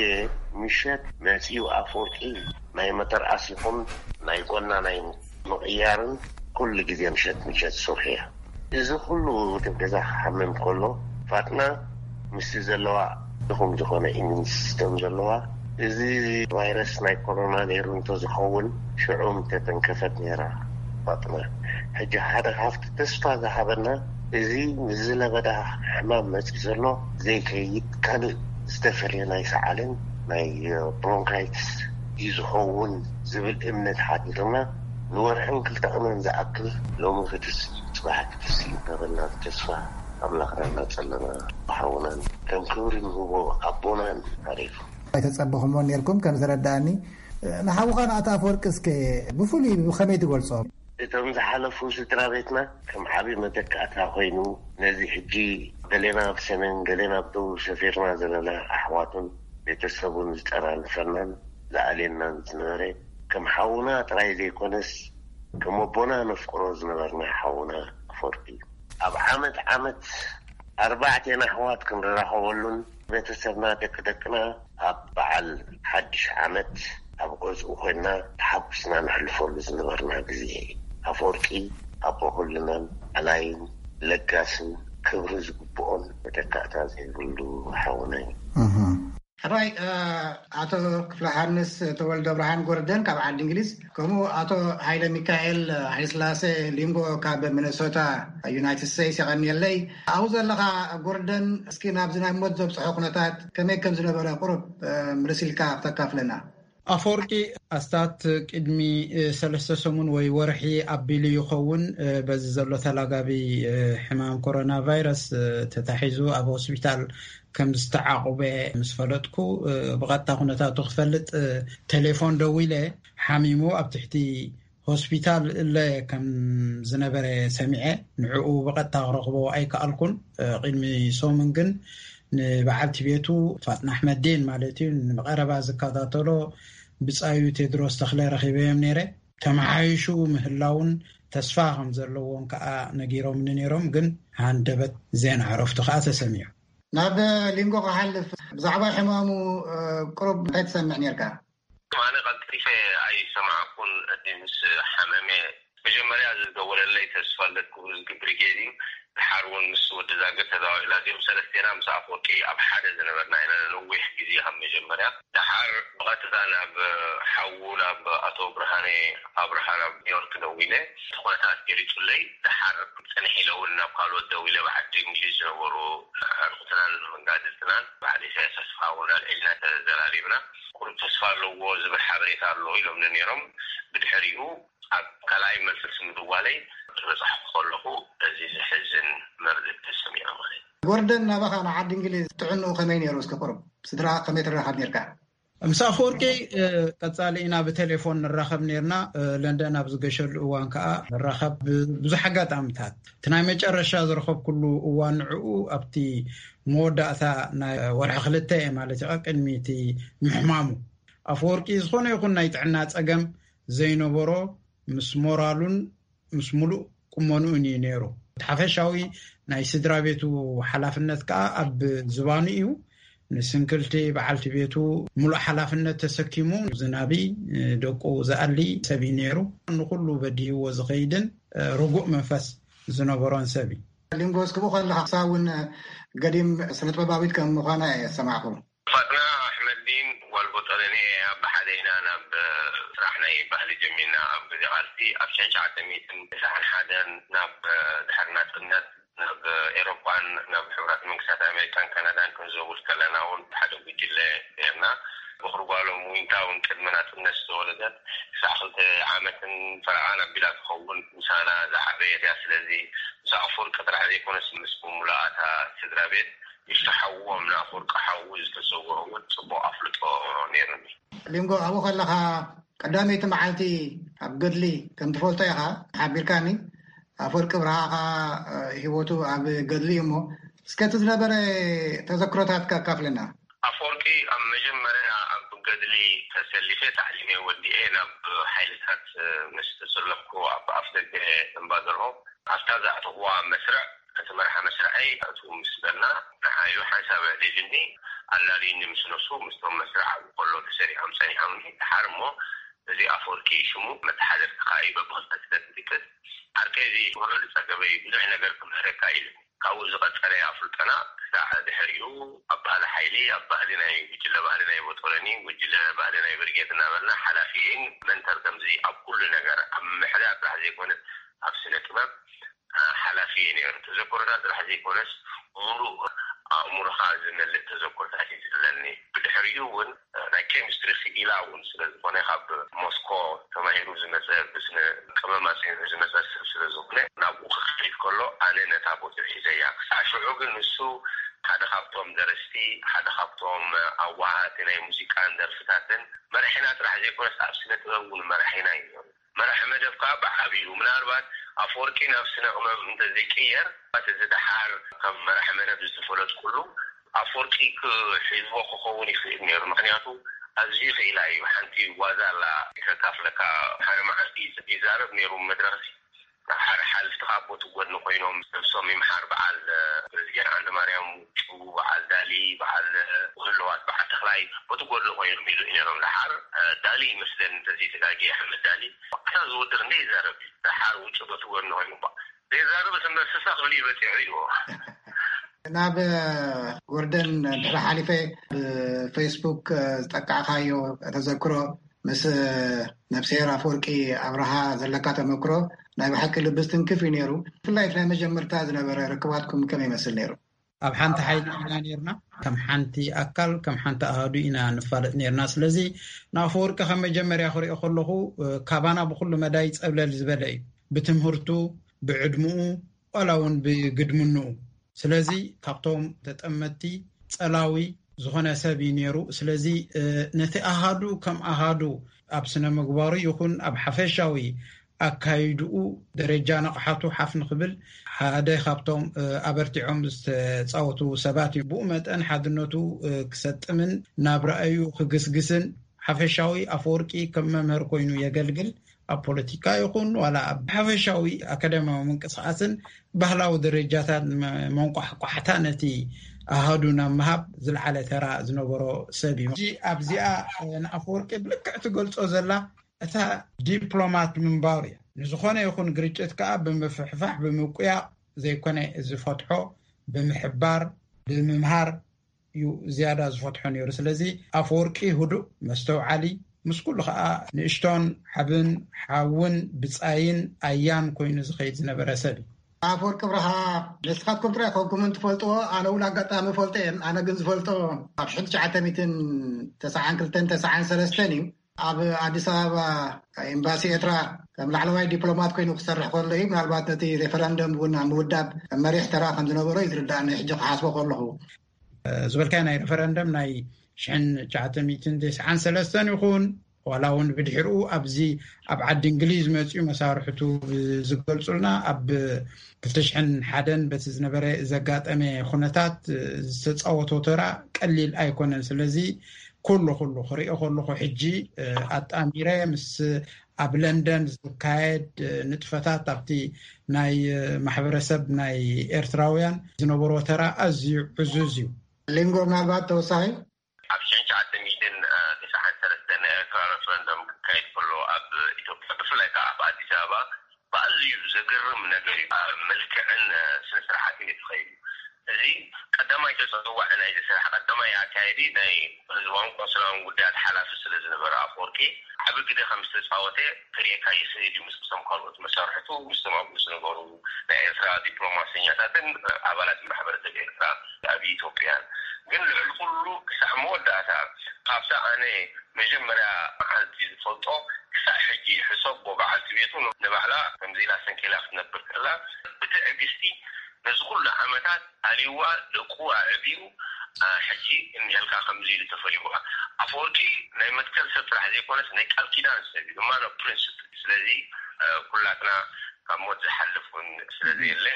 ምሸት መጺኡ ኣፈወርቂ ናይ መተርኣስ ይኹን ናይ ጎና ናይ ምቕያርን ኩሉ ግዜ ምሸት ምሸት ዝሰርሑ እያ። እዚ ኩሉ ገዛ ክሓምም ከሎ ፋጥና ምስቲ ዘለዋ ድኹም ዝኾነ ኢሚን ሲስተም ዘለዋ፣ እዚ ቫይረስ ናይ ኮሮና ነይሩ እንተዝኸውን ሽዑ ምተተንከፈት ነይራ ፋጥና። ሕጂ ሓደ ካብቲ ተስፋ ዝሃበና፣ እዚ ምስ ዝለበዳ ሕማም መፂ ዘሎ ዘይከይድ፣ ካልእ ዝተፈለየ ናይ ሰዓልን ናይ ብሮንካይትስ እዩ ዝኸውን ዝብል እምነት ሓዲርና፣ ንወርሕን ክልተ ቅነን ዝኣክል፣ ሎሚ ክትስ፣ ጽባሕ ክትስ እናበልና ብተስፋ ኣምላኽና እናጸለና፣ ሓውናን ከም ክብሪ ንህቦ ኣቦናን ሓሊፉ። ኣይተጸበኹምዎን ነርኩም ከም ዝረዳእኒ። ንሓውኻ ንኣቶ ኣፈወርቂ እስከ ብፍሉይ ብኸመይ ትገልጾ? እቶም ዝሓለፉ ስድራ ቤትና ከም ዓቢ መተካእታ ኮይኑ፣ ነዚ ሕጂ ገሌና ኣብ ሰሜን፣ ገሌና ኣብ ደቡብ ሰፊርና ዘለና ኣሕዋቱን ቤተሰቡን ዝጠራንፈናን ዝኣልየናን ዝነበረ፣ ከም ሓውና ጥራይ ዘይኮነስ፣ ከም ኣቦና ነፍቅሮ ዝነበርና ሓውና ኣፈወርቂ እዩ። ኣብ ዓመት ዓመት ኣርባዕቴና ኣሕዋት ክንራኸበሉን ቤተሰብና፣ ደቂ ደቅና ኣብ በዓል ሓድሽ ዓመት ኣብ ገዝኡ ኮይና ተሓጉስና ነሕልፈሉ ዝነበርና ግዜ። ኣፈወርቂ ኣቦ ኩልናን ኣላይን ለጋስን ክብሪ ዝግብኦን መተካእታ ዘይብሉ ሓውና እዩ። እህ። ሕራይ፣ እ፣ ኣቶ ክፍለ ሃንስ ተወልደ ብርሃን ጎርደን ካብ ዓዲ እንግሊዝ፣ ከምኡ ኣቶ ሃይለ ሚካኤል ሃይለስላሴ ሊንጎ ካብ ሚነሶታ ዩናይትድ ስቴትስ የቐንየለይ። ኣብኡ ዘለኻ ጎርደን፣ እስኪ ናብዚ ናይ ሞት ዘብፅሖ ኩነታት ከመይ ከም ዝነበረ ቁሩብ፣ እ፣ ምልስ ኢልካ ክተካፍለና። ኣፈወርቂ ኣስታት ቅድሚ፣ እ፣ ሰለስተ ሰሙን ወይ ወርሒ ኣቢሉ ይኸውን፣ እ፣ በዚ ዘሎ ተላጋቢ፣ እ፣ ሕማም ኮሮና ቫይረስ፣ እ፣ ተታሒዙ ኣብ ሆስፒታል ከም ዝተዓቑበ ምስ ፈለጥኩ፣ እ፣ ብቐጥታ ኩነታቱ ክፈልጥ፣ እ፣ ቴሌፎን ደዊለ፣ ሓሚሙ ኣብ ትሕቲ ሆስፒታል እለ ከም ዝነበረ ሰሚዐ፣ ንዕኡ ብቐጥታ ክረኽቦ ኣይከኣልኩን። እ፣ ቅድሚ ሰሙን ግን ንበዓልቲ ቤቱ ፋጥና ኣሕመዲን ማለት እዩ፣ ንብቐረባ ዝከታተሎ ብጻዩ ቴድሮስ ተኽለ ረኺበዮም ነይረ። ተመሓይሹ ምህላውን ተስፋ ከም ዘለዎም ከኣ ነጊሮምኒ ነይሮም፣ ግን ሃንደበት ዜና ዕረፍቱ ከኣ ተሰሚዑ። ናብ ሊንጎ ክሓልፍ፣ ብዛዕባ ሕማሙ፣ እ፣ ቁሩብ እንታይ ትሰምዕ ነርካ? ኣነ ቀልጢፈ ኣይሰማዕኩን፣ እቲ ምስ ሓመመ መጀመርያ ዝደወለለይ ተስፋለት ክብሩ ዝግብር ጌዲ፣ ድሓር እውን ምስ ወዲ ዛገ ተዛዊላ፣ እዚኦም ሰለስቴና ምስ ኣፈወርቂ ኣብ ሓደ ዝነበርና ኢና ነዊሕ ግዜ ካብ መጀመርያ። ድሓር ብቐጥታ ናብ ሓዉ፣ ናብ ኣቶ ብርሃነ ኣብርሃ ናብ ኒውዮርክ ደዊለ፣ እቲ ኩነታት ገሊጹለይ። ድሓር ጽንሕ ኢለ እውን ናብ ካልኦት ደዊለ፣ ብዓዲ እንግሊዝ ዝነበሩ ኣዕሩኽትናን መጋድልትናን፣ በዓል ኢሳያስ ተስፋ እውን ኣልዒልና ተዘራሪብና። ቁሩብ ተስፋ ኣለዎ ዝብል ሓበሬታ ኣሎ ኢሎምኒ ነይሮም። ብድሕሪኡ ኣብ ካልኣይ መልሲ ምድዋለይ፣ ዝበጻሕኩ ከለኹ እዚ ዘሕዝን መርድእ ተሰሚዑ ማለት እዩ። ጎርደን፣ ናባኻ ንዓዲ እንግሊዝ ጥዕንኡ ከመይ ነይሩ? እስኪ ቁሩብ ስድራ ከመይ ትራኸብ ነርካ? ምስ ኣፈወርቂ፣ እ፣ ቀጻሊ ኢና ብቴሌፎን ንራኸብ ነርና። እ፣ ለንደን ኣብ ዝገሸሉ እዋን ከኣ ንራኸብ ብ-፣ ብዙሕ ኣጋጣምታት። እቲ ናይ መጨረሻ ዝረኸብኩሉ እዋን ንዕኡ ኣብቲ መወዳእታ ናይ ወርሒ ክልተ ማለት እዩ፣ ቅድሚ እቲ ምሕማሙ። ኣፈወርቂ ዝኾነ ይኹን ናይ ጥዕና ጸገም ዘይነበሮ፣ ምስ ሞራሉን ምስ ሙሉእ ቁመንኡን እዩ ነይሩ። እቲ ሓፈሻዊ ናይ ስድራ ቤቱ ሓላፍነት ከኣ ኣብ ዝባኑ እዩ። ንስንክልቲ በዓልቲ ቤቱ ሙሉእ ሓላፍነት ተሰኪሙ፣ ዝናቢ፣ ደቁ ዝኣሊ ሰብ እዩ ነይሩ። ንኹሉ በዲህዎ ዝኸይድን ርጉእ መንፈስ ዝነበሮን ሰብ እዩ። ሊንጎ፣ እስኪ ብኡ ከለኻ፣ ንሳ እውን ገዲም ስነ ጥበባዊት ከም ምዃና እየ ዝሰማዕኩ። ፋጥና ኣሕመዲን ጓል ቦጠለኔ ኣብ ብሓደ ኢና ናብ ስራሕ ናይ ባህሊ ጀሚርና። ኣብ ግዜ ቃልሲ ኣብ ሽሕን ትሽዓተ ሚእትን ተስዓን ሓደን ናብ ድሕሪ ናጽነት ናብ ኤሮጳን ናብ ሕቡራት መንግስታት ኣሜሪካን ካናዳን ክንዘውር ከለና እውን ብሓደ ጉጅለ ነርና። በኹሪ ጓሎም ዊንታ እውን ቅድሚ ናጽነት ዝተወለደት ክሳዕ ክልተ ዓመትን ፈረቓን ኣቢላ ትኸውን ምሳና ዝዓበየት እያ። ስለዚ ምስ ኣፈወርቂ ጥራሕ ዘይኮነስ ምስ ብምሉኣታ ስድራ ቤት፣ ንሽቶ ሓዎም ንኣፈወርቂ ሓዉ ዝተሰውኦ እውን ጽቡቕ ኣፍልጦ ነይሩኒ። ሊንጎ፣ ኣብኡ ከለኻ ቀዳመይቲ መዓልቲ ኣብ ገድሊ ከም ትፈልጦ ኢኻ ሓቢርካኒ። ኣፈወርቂ ብርሃኻ፣ እ፣ ህይወቱ ኣብ ገድሊ እዩ እሞ፣ እስከ እቲ ዝነበረ ተዘክሮታትካ ኣካፍለና። ኣፈወርቂ ኣብ መጀመርያ ኣብ ገድሊ ተሰሊፈ፣ ታዕሊመይ ወዲኤ ናብ ሓይልታት ምስ ተሰለፍኩ፣ ኣብ ኣፍደገ እምባ ዘርሆ ኣብታ ዘዕጠቕዋ መስርዕ፣ እቲ መርሓ መስርዐይ ኣእትዉ ምስ በልና፣ ንዓዩ ሓንሳብ ኣዕሊሉኒ፣ ኣላልዩኒ ምስ ነሱ፣ ምስቶም መስርዕ ኣብኡ ከሎ ተሰሪዖም ጸኒሖምኒ። ደሓር እሞ እዚ ኣፈወርቂ ሽሙ፣ መተሓደርቲ ከኣ እዩ በብኽልተ ስለ ዝጥቀስ፣ ዓርከይ እዚ ውዕል ዝጸገበ እዩ፣ ብዙሕ ነገር ክምህረካ ኢሉ። ካብኡ ዝቐጸለ ኣፍልጦና ክሳዕ ድሕሪኡ ኣብ ባህሊ ሓይሊ፣ ኣብ ባህሊ ናይ ጉጅለ፣ ባህሊ ናይ ቦጦረኒ፣ ጉጅለ ባህሊ ናይ ብርጌድ እናበልና ሓላፊ እየን መንተር። ከምዚ ኣብ ኩሉ ነገር ኣብ ምሕዳር ጥራሕ ዘይኮነ ኣብ ስነ ጥበብ ሓላፊ እየ ነይሩ። ተዘክሮታት ጥራሕ ዘይኮነስ ሙሉእ ኣእምሮኻ ዝመልእ ተዘክሮታት እዩ ዘለኒ። ብድሕሪኡ እውን ናይ ኬሚስትሪ ክኢላ እውን ስለ ዝኾነ፣ ካብ ሞስኮ ተማሂሩ ዝመፀ፣ ብስነ ቀመም ኣፅኒዑ ዝመፀ ሰብ ስለ ዝኾነ፣ ናብኡ ክኸይድ ከሎ ኣነ ነታ ቦትኡ ሒዘያ። ክሳዕ ሽዑ ግን ንሱ ሓደ ካብቶም ደረስቲ፣ ሓደ ካብቶም ኣዋሃሃቲ ናይ ሙዚቃን ደርፍታትን መራሒና ጥራሕ ዘይኮነስ ኣብ ስነ ጥበብ እውን መራሒና እዩ ነይሩ። መራሒ መደብ ከዓ ብዓብዩ ምናልባት ኣፈወርቂ ናብ ስነ ቅመም እንተዘይቅየር፣ እቲ ደሓር ከም መራሒ መደብ ዝተፈለጥኩሉ ኣፈወርቂ ክሒዝዎ ክኸውን ይኽእል ነይሩ። ምክንያቱ ኣዝዩ ክኢላ እዩ። ሓንቲ ዋዛ ኣላ ከካፍለካ። ሓደ መዓልቲ ይዛረብ ነይሩ መድረኽ፣ ናብ ሓደ ሓልፍቲ ካብ ቦቲ ጎድኒ ኮይኖም፣ ነብሶም ይምሓር፣ በዓል ፕሬዚደንት ዓንደ ማርያም ውጩ፣ በዓል ዳሊ፣ በዓል ህልዋት፣ በዓል ተኽላይ ቦቲ ጎድኒ ኮይኖም ይልኡ ነይሮም። ደሓር ዳሊ ይመስለኒ እንተዘይተጋጊየ፣ ኣሕመድ ዳሊ። ዋዕታ ዝውድር እንደ ይዛረብ እዩ። ደሓር ውጩ ቦቲ ጎድኒ ኮይኑ እባ ዘይዛረብ ስምበር ስሳ ክብል እዩ በፂሑ ኢልዎ። ናብ ጎርደን ድሕሪ ሓሊፈ ብፌስቡክ ዝጠቃዕካዮ ተዘክሮ ምስ ነብስሄር ኣፈወርቂ ኣብርሃ ዘለካ ተመክሮ ናይ ብሓቂ ልቢ ዝትንክፍ እዩ ነይሩ። ብፍላይ እቲ ናይ መጀመርታ ዝነበረ ርክባትኩም ከመይ ይመስል ነይሩ? ኣብ ሓንቲ ሓይሊ ኢና ነርና፣ ከም ሓንቲ ኣካል፣ ከም ሓንቲ ኣሃዱ ኢና ንፋለጥ ነርና። ስለዚ ንኣፈወርቂ ከም መጀመርያ ክሪኦ ከለኹ ካባና ብኩሉ መዳይ ፀብለል ዝበለ እዩ። ብትምህርቱ፣ ብዕድምኡ፣ ዋላ እውን ብግድምንኡ። ስለዚ ካብቶም ተጠመትቲ ፀላዊ ዝኾነ ሰብ እዩ ነይሩ። ስለዚ ነቲ ኣሃዱ ከም ኣሃዱ ኣብ ስነ ምግባሩ ይኹን ኣብ ሓፈሻዊ ኣካይድኡ ደረጃ ንቕሓቱ ሓፍ ንኽብል ሓደ ካብቶም ኣበርቲዖም ዝተፃወቱ ሰባት እዩ። ብኡ መጠን ሓድነቱ ክሰጥምን ናብ ራእዩ ክግስግስን ሓፈሻዊ ኣፈወርቂ ከም መምህር ኮይኑ የገልግል። ኣብ ፖለቲካ ይኹን ዋላ ኣብ ሓፈሻዊ ኣካዳሚያዊ ምንቅስቃስን ባህላዊ ደረጃታት መንቋሕቋሕታ ነቲ ኣሃዱ ናብ ምሃብ ዝለዓለ ተራ ዝነበሮ ሰብ እዩ። ኣብዚኣ ንኣፈወርቂ ብልክዕ ትገልጾ ዘላ እታ ዲፕሎማት ምንባሩ እያ። ንዝኾነ ይኹን ግርጭት ከዓ ብምፍሕፋሕ ብምቁያቕ ዘይኮነ ዝፈትሖ ብምሕባር ብምምሃር እዩ ዝያዳ ዝፈትሖ ነይሩ። ስለዚ ኣፈወርቂ ህዱእ፣ መስተውዓሊ፣ ምስ ኩሉ ከዓ ንእሽቶን ዓብን ሓውን ብፃይን ኣያን ኮይኑ ዝኸይድ ዝነበረ ሰብ እዩ። ኣፈወርቂ ኣብርሃ ንስኻትኩም ጥራይ ኮንኩምን ትፈልጥዎ፣ ኣነ እውን ኣጋጣሚ ፈልጦ እየ። ኣነ ግን ዝፈልጦ ኣብ ሽሕን ትሽዓተ ሚእትን ተስዓን ክልተን ተስዓን ሰለስተን እዩ። ኣብ ኣዲስ ኣበባ ኤምባሲ ኤርትራ ከም ላዕለዋይ ዲፕሎማት ኮይኑ ክሰርሕ ከሎ እዩ። ምናልባት ነቲ ሬፈረንደም እውን ኣብ ምውዳብ መሪሕ ተራ ከም ዝነበሮ እዩ ዝርዳእኒ ሕጂ ክሓስቦ ከለኹ። ዝበልካዮ ናይ ሬፈረንደም ናይ ሽሕን ትሽዓተ ሚእትን ተስዓን ሰለስተን ይኹን ዋላ እውን ብድሕርኡ ኣብዚ ኣብ ዓዲ እንግሊዝ መፅኡ መሳርሕቱ ዝገልፁልና ኣብ ክልተ ሽሕን ሓደን በቲ ዝነበረ ዘጋጠመ ኩነታት ዝተፃወቶ ተራ ቀሊል ኣይኮነን። ስለዚ ኩሉ ኩሉ ክሪኦ ከለኹ ሕጂ ኣጣሚረ ምስ ኣብ ለንደን ዝካየድ ንጥፈታት ኣብቲ ናይ ማሕበረሰብ ናይ ኤርትራውያን ዝነበሮ ተራ ኣዝዩ ዕዙዝ እዩ። ሊንጎ ምናልባት ተወሳኺ ኣብ ሽሕን ትሽዓተ ሚእትን ተስዓን ሰለስተን ናይ ኤርትራ ሬፈረንደም ክካየድ ከሎ ኣብ ኢትዮጵያ ብፍላይ ከዓ ኣብ ኣዲስ ኣበባ ብኣዝዩ ዘገርም ነገር እዩ። ኣብ መልክዕን ስነ ስርዓትን እዩ ተኸይዱ። እዚ ቀዳማይ ተፀዋዒ ናይዚ ስራሕ፣ ቀዳማይ ኣካየዲ ናይ ህዝባውን ቆንስላውን ጉዳያት ሓላፊ ስለ ዝነበረ ኣፈወርቂ ዓቢ ግደ ከም ዝተፃወተ ክርእየካ ይኽእል እዩ። ምስቶም ካልኦት መሳርሕቱ፣ ምስቶም ኣብኡ ዝነበሩ ናይ ኤርትራ ዲፕሎማሰኛታትን ኣባላት ማሕበረሰብ ኤርትራ ኣብ ኢትዮጵያን። ግን ልዕሊ ኩሉ ክሳዕ መወዳእታ ካብታ ኣነ መጀመርያ መዓልቲ ዝፈልጦ ክሳዕ ሕጂ ይሕሰቦ። በዓልቲ ቤቱ ንባዕላ ከምዚ ኢላ ሰንኪላ ክትነብር ከላ ብትዕግስቲ ነዚ ኩሉ ዓመታት ኣልይዋ ደቁ ኣዕብዩ ሕጂ እንዲልካ ከምዚ ኢሉ ተፈሊዋ። ኣፈወርቂ ናይ መትከል ሰብ ጥራሕ ዘይኮነስ ናይ ቃል ኪዳን ሰብ እዩ፣ እማኖ ፕሪንስፕል። ስለዚ ኩላትና ካብ ሞት ዝሓልፍ እውን ስለ ዘየለ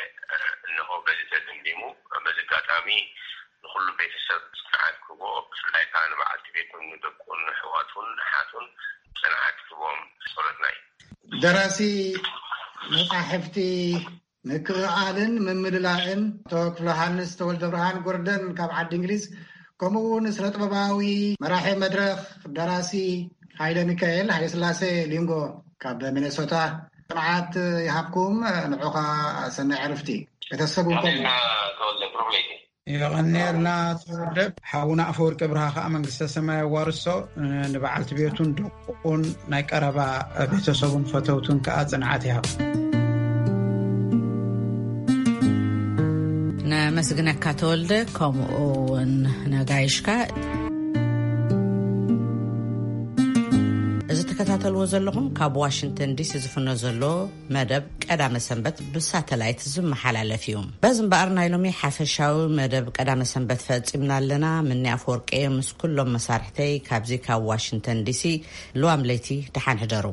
እንሆ በዚ ተደምዲሙ። በዚ ኣጋጣሚ ንኩሉ ቤተሰብ ጽንዓት ክህቦ፣ ብፍላይ ከዓ ንበዓልቲ ቤቱን ንደቁን ንሕዋቱን ንሓቱን ጽንዓት ክህቦም ጸሎትና እዩ። ደራሲ መጻሕፍቲ ምክእኣልን ምምልላእን ኣቶ ክፍለዮሃንስ ተወልደብርሃን ጎርደን ካብ ዓዲ እንግሊዝ፣ ከምኡ እውን ስነ ጥበባዊ መራሒ መድረኽ ደራሲ ሃይለ ሚካኤል ሃይለስላሴ ሊንጎ ካብ ሚኔሶታ ጽንዓት ይሃብኩም። ንዑኻ ሰናይ ዕርፍቲ። ቤተሰብ እውን ከምኡ። የቐንየልና ተወልደ። ሓውና ኣፈወርቂ ብርሃ ከኣ መንግስተ ሰማይ ኣዋርሶ፣ ንበዓልቲ ቤቱን ደቁን ናይ ቀረባ ቤተሰቡን ፈተውቱን ከኣ ጽንዓት ይሃብ። ነመስግነካ ተወልደ፣ ከምኡ እውን ነጋይሽካ። እዚ ትከታተልዎ ዘለኹም ካብ ዋሽንግተን ዲሲ ዝፍኖ ዘሎ መደብ ቀዳመ ሰንበት ብሳተላይት ዝመሓላለፍ እዩ። በዚ እምበኣር ናይ ሎሚ ሓፈሻዊ መደብ ቀዳመ ሰንበት ፈጺምና ኣለና። ምኒ ኣፈወርቂ ምስ ኩሎም መሳርሕተይ ካብዚ ካብ ዋሽንግተን ዲሲ፣ ልዋም ለይቲ ደሓን ሕደሩ።